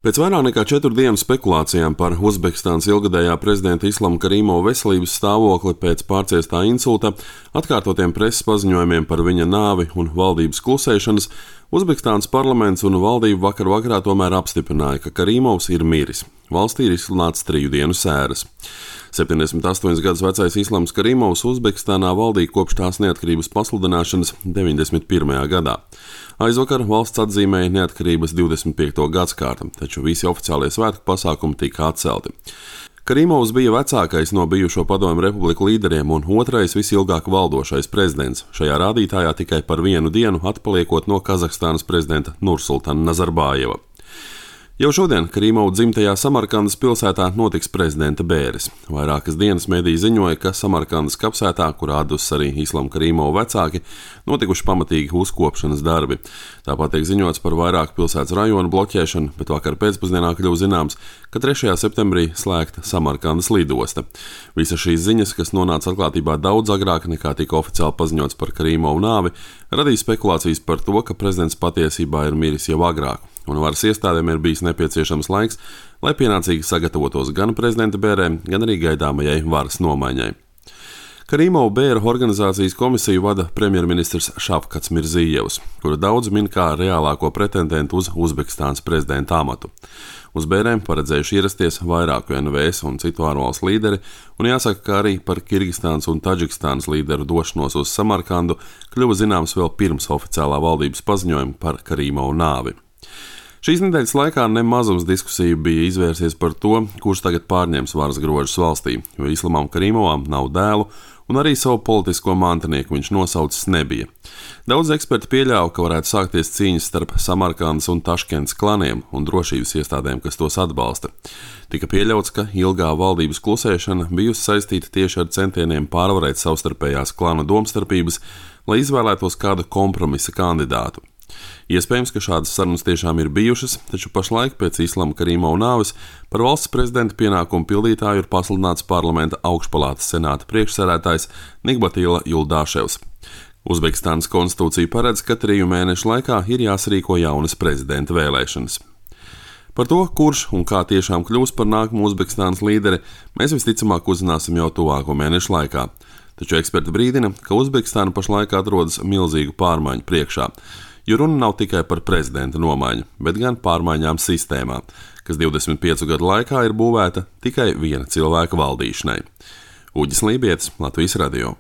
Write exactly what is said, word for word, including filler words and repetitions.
Pēc vairāk nekā četru dienu spekulācijām par Uzbekistānas ilgadējā prezidenta Islama Karimova veselības stāvokli pēc pārciestā insulta, atkārtotiem preses paziņojumiem par viņa nāvi un valdības klusēšanas, Uzbekistānas parlaments un valdība vakar vakarā tomēr apstiprināja, ka Karimovs ir miris. Valstī ir izsludināts triju dienu sēras. septiņdesmit astoņus gadus vecais Islams Karimovs Uzbekistānā valdīja kopš tās neatkarības pasludināšanas deviņdesmit pirmajā gadā. Aizvakar valsts atzīmēja neatkarības divdesmit piekto gadskārtu, taču visi oficiālie svētku pasākumi tika atcelti. Karimovs bija vecākais no bijušo Padomju republiku līderiem un otrais visilgāk valdošais prezidents, šajā rādītājā tikai par vienu dienu atpaliekot no Kazahstānas prezidenta Nursultana Nazarbājeva. Jau šodien Karimova dzimtajā Samarkandas pilsētā notiks prezidenta bēres. Vairākas dienas mediji ziņoja, ka Samarkandas kapsētā, kur atdus arī Islama Karimova vecāki, notikuši pamatīgi uzkopšanas darbi. Tāpat tiek ziņots par vairāku pilsētas rajonu bloķēšanu, bet vakar pēcpusdienā kļuva zināms, ka trešajā septembrī slēgta Samarkandas lidosta. Visas šīs ziņas, kas nonāca atklātībā daudz agrāk nekā tika oficiāli paziņots par Karimovu nāvi, radīja spekulācijas par to, ka prezidents patiesībā ir miris jau agrāk, un varas iestādēm ir bijis nepieciešams laiks, lai pienācīgi sagatavotos gan prezidenta bērēm, gan arī gaidāmajai varas nomaiņai. Karimova bēra organizācijas komisiju vada premjerministrs Šafkats Mirzījevs, kuru daudz min kā reālāko pretendentu uz Uzbekistānas prezidenta amatu. Uz bērēm paredzējuši ierasties vairāku N V S un citu ārvalstu līderi, un jāsaka, ka arī par Kirgistānas un Taģikstānas līderu došanos uz Samarkandu kļuva zināms vēl pirms oficiālā valdības paziņojuma par Karimovu nāvi. Šīs nedēļas laikā nemazums diskusiju bija izvērsies par to, kurš tagad pārņems varas grožus valstī, jo Islamam Karimovam nav dēlu, un arī savu politisko mantinieku viņš nosaucis nebija. Daudz eksperti pieļāva, ka varētu sākties cīņas starp Samarkandas un Taškentas klaniem un drošības iestādēm, kas tos atbalsta. Tika pieļauts, ka ilgā valdības klusēšana bijusi saistīta tieši ar centieniem pārvarēt savstarpējās klanu domstarpības, lai izvēlētos kādu kompromisa kandidātu. Iespējams, ka šādas sarunas tiešām ir bijušas, taču pašlaik pēc Islama Karimova nāves par valsts prezidenta pienākumu pildītāju ir pasludināts parlamenta augšpalātas senāta priekšsēdētājs Nigbatila Juldāševs. Uzbekistānas konstitūcija paredz, ka triju mēnešu laikā ir jāsarīko jaunas prezidenta vēlēšanas. Par to, kurš un kā tiešām kļūs par nākamo Uzbekistānas līderi, mēs visticamāk uzzināsim jau tuvāko mēnešu laikā. Taču eksperti brīdina, ka Uzbekistāna pašlaik atrodas milzīgu pārmaiņu priekšā, jo runa nav tikai par prezidenta nomaiņu, bet gan pārmaiņām sistēmā, kas divdesmit piecu gadu laikā ir būvēta tikai viena cilvēka valdīšanai. Uģis Lībietis, Latvijas radio.